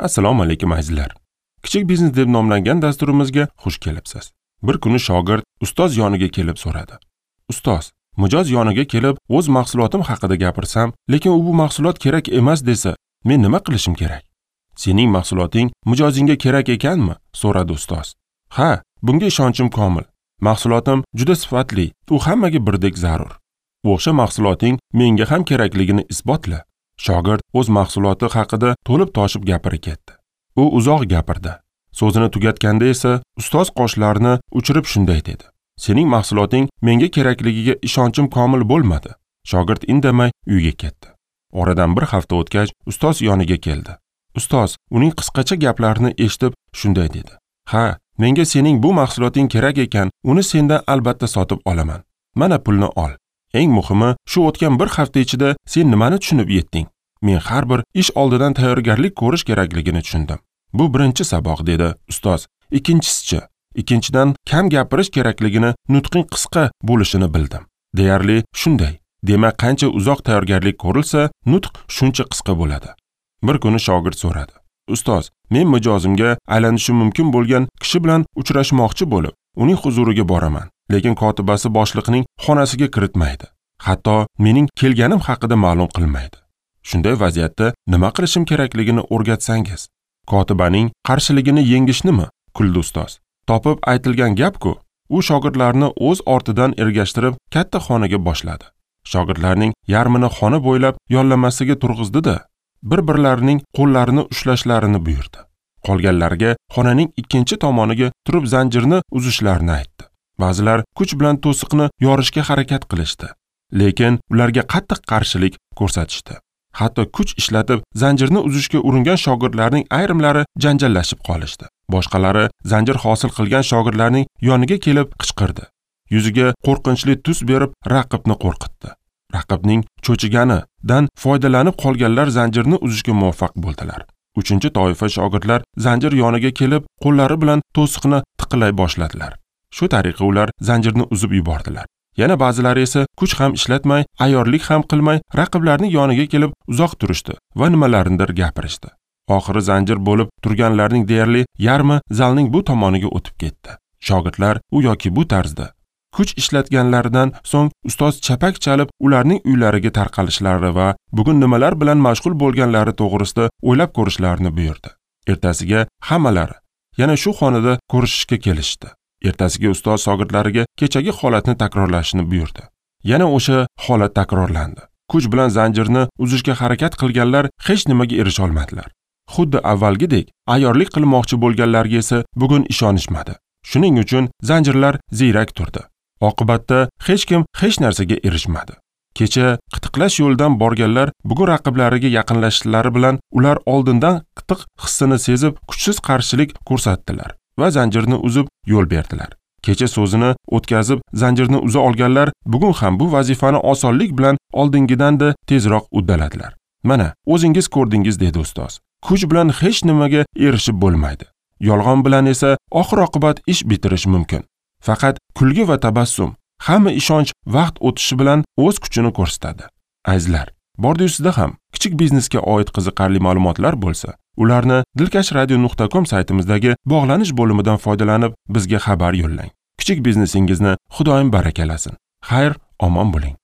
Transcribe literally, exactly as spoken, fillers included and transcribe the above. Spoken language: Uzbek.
Assalomu alaykum azizlar. Kichik biznes deb nomlangan dasturimizga xush kelibsiz. Bir kuni shogird ustoz yoniga kelib so'radi. Ustoz, mijoz yoniga kelib o'z mahsulotim haqida gapirsam, lekin u bu mahsulot kerak emas desa, men nima qilishim kerak? Sening mahsuloting mijozingga kerak ekanmi? So'radi ustoz. Ha, bunga ishonchim komil. Mahsulotim juda sifatli, u hammaga birdek zarur. O'sha mahsuloting menga ham kerakligini isbotla. Shogird o'z mahsuloti haqida to'lib toshib gapira ketdi. U uzoq gapirdi. So'zini tugatganda esa ustoz qoshlarini uchirib shunday dedi. Sening mahsuloting menga kerakligiga ishonchim komil bo'lmadi. Shogird indamay uyga ketdi. Oradan bir hafta o'tgach, ustoz yoniga keldi. Ustoz uning qisqacha gaplarini eshitib shunday dedi. Ha, menga sening bu mahsuloting kerak ekan, uni sendan albatta sotib olaman. Mana pulni ol. Eng muhimi, shu o'tgan bir hafta ichida sen nimani tushunib yetding? Men har bir ish oldidan tayyorgarlik ko'rish kerakligini tushundim. Bu birinchi saboq, dedi ustoz. Ikkinchisichi, ikkinchidan kam gapirish kerakligini, nutqing qisqa bo'lishini bildim. Deyarli shunday. Demak, qancha uzoq tayyorgarlik ko'rilsa, nutq shuncha qisqa bo'ladi. Bir kuni shogird so'radi. Ustoz, men mijozimga aylanishim mumkin bo'lgan kishi bilan uchrashmoqchi bo'lib, uning huzuriga boraman. Lekin kotibasi boshliqning xonasiga kiritmaydi. Hatto mening kelganim haqida ma'lum qilmaydi. Shunday vaziyatda nima qilishim kerakligini o'rgatsangiz. Kotibaning qarshiligini yengishnimi? Kuldi ustoz. Topib aytilgan gap-ku. U shogirdlarni o'z ortidan ergashtirib katta xonaga boshladi. Shogirdlarning yarmini xona bo'ylab yollamasiga turg'izdi-da, bir-birlarining qo'llarini ushlashlarini buyurdi. Qolganlarga xonaning ikkinchi tomoniga turib zanjirni uzishlarini aytdi. Ba'zilar kuch bilan to'siqni yorishga harakat qilishdi, lekin ularga qattiq qarshilik ko'rsatishdi. Hatto kuch ishlatib zanjirni uzishga uringan shogirdlarning ayrimlari janjallashib qolishdi. Boshqalari zanjir hosil qilgan shogirdlarning yoniga kelib qichqirdi. Yuziga qo'rqinchli tus berib raqibni qo'rqitdi. Raqibning cho'chiganidan foydalanib qolganlar zanjirni uzishga muvaffaq bo'ldilar. Uchinchi toifa shogirdlar zanjir yoniga kelib, qo'llari bilan to'siqni tiqilay boshladilar. Shu tariqa ular zanjirni uzib yubordilar. Yana ba'zilari esa kuch ham ishlatmay, ayyorlik ham qilmay raqiblarning yoniga kelib uzoq turishdi va nimalarnidir gapirishdi. Oxiri zanjir bo'lib turganlarning deyarli yarmi zalning bu tomoniga o'tib ketdi. Shogirdlar u yoki bu tarzda kuch ishlatganlaridan so'ng ustoz chapak chalib ularning uylariga tarqalishlari va bugun nimalar bilan mashg'ul bo'lganlari to'g'risida o'ylab ko'rishlarini buyurdi. Ertasiga hammalari yana shu xonada ko'rishishga kelishdi. Ertasiga ustoz shogirdlariga kechagi holatni takrorlashni buyurdi. Yana o'sha holat takrorlandi. Kuch bilan zanjirni uzishga harakat qilganlar hech nimaga erisha olmadilar. Xuddi avvalgidek ayyorlik qilmoqchi bo'lganlarga esa bugun ishonishmadi. Shuning uchun zanjirlar ziyrak turdi. Oqibatda hech kim hech narsaga erishmadi. Kecha qitiqlash yo'lidan borganlar bugun raqiblariga yaqinlashishlari bilan ular oldindan qitiq hissini sezib kuchsiz qarshilik ko'rsatdilar va zanjirni uzib yo'l berdilar. Kecha so'zini o'tkazib zanjirni uza olganlar bugun ham bu vazifani osonlik bilan oldingidan-da tezroq uddaladilar. Mana, o'zingiz ko'rdingiz, dedi ustoz. Kuch bilan hech nimaga erishib bo'lmaydi. Yolg'on bilan esa oxir-oqibat ish bitirish mumkin. Faqat kulgi va tabassum, hamma ishonch vaqt o'tishi bilan o'z kuchini ko'rsatadi. Azizlar, bordi-yusida ham kichik biznesga oid qiziqarli ma'lumotlar bo'lsa, ularni dilkash radio nuqta com saytimizdagi bog'lanish bo'limidan foydalanib bizga xabar yo'llang. Kichik biznesingizni Xudoyim barakalasin. Xayr, omon bo'ling.